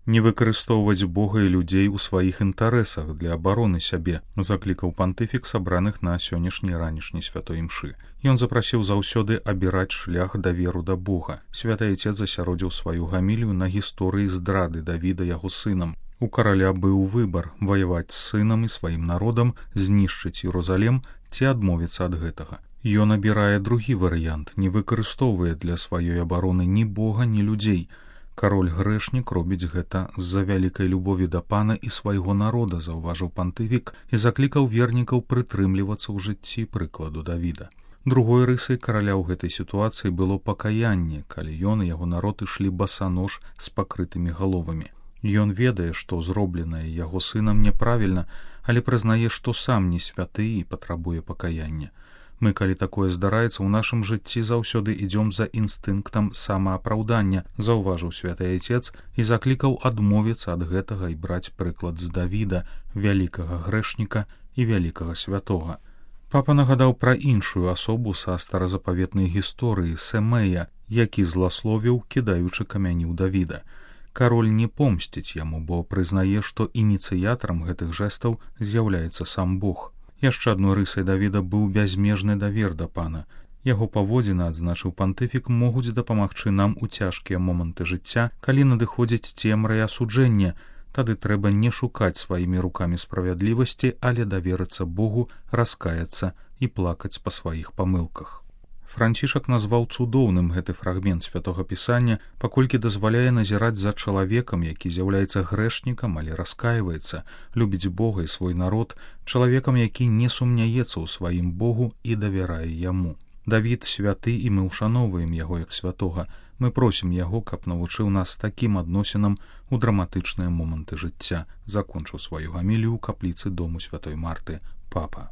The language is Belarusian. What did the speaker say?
Не выкарыстоўваць Бога і людзей у сваіх інтарэсах для абароны сябе, заклікаў пантыфік сабраных на сённяшняй ранішняй святой імшы. Ён запрасіў заўсёды абіраць шлях даверу да Бога. Святы Айцец засяродзіў сваю гамілію на гісторыі здрады Давіда яго сынам. У караля быў выбар ваяваць з сынам і сваім народам, знішчыць Іерусалім ці адмовіцца ад гэтага. Ён абірае другі варыянт, не выкарыстоўвае для сваёй абароны ні Бога, ні людзей. Кароль-грэшнік робіць гэта з-за вялікай любові да пана і свайго народа, заўважыў пантыфік і заклікаў вернікаў прытрымлівацца ў жыцці прыкладу Давіда. Другой рысай караля ў гэтай сітуацыі было пакаянне, калі ён і яго народ ішлі басанож з пакрытымі галовамі. Ён ведае, што зробленае яго сынам няправільна, але прызнае, што сам не святы і патрабуе пакаяння. Мы, калі такое здараецца, у нашым жыцці заўсёды ідзём за інстынктам самаапраўдання, заўважыў святы Айцец і заклікаў адмовіцца ад гэтага і браць прыклад з Давіда, вялікага грэшніка і вялікага святога. Папа нагадаў пра іншую асобу са старазапаветнай гісторыі Сэмея, які зласловіў, кідаючы камяні ў Давіда. Кароль не помсціць яму, бо прызнае, што ініцыятарам гэтых жэстаў з'яўляецца сам Бог. Яшчэ адной рысай Давіда быў бязмежны давер да пана. Яго паводзіны, адзначыў пантыфік, могуць дапамагчы нам у цяжкія моманты жыцця, калі надыходзіць цемра і асуджэнне. Тады трэба не шукаць сваімі рукамі справядлівасці, але даверыцца Богу, раскаяцца і плакаць па сваіх памылках. Францішак назваў цудоўным гэты фрагмент святога пісання, паколькі дазваляе назіраць за чалавекам, які з'яўляецца грэшнікам, але раскайваецца, любіць Бога і свой народ, чалавекам, які не сумняецца ў сваім Богу і давярае яму. Давід святы, і мы ўшаноўваем яго як святога. Мы просім яго, каб навучыў нас такім адносінам у драматычныя моманты жыцця, закончыў сваю гамілію ў капліцы дому святой Марты папа.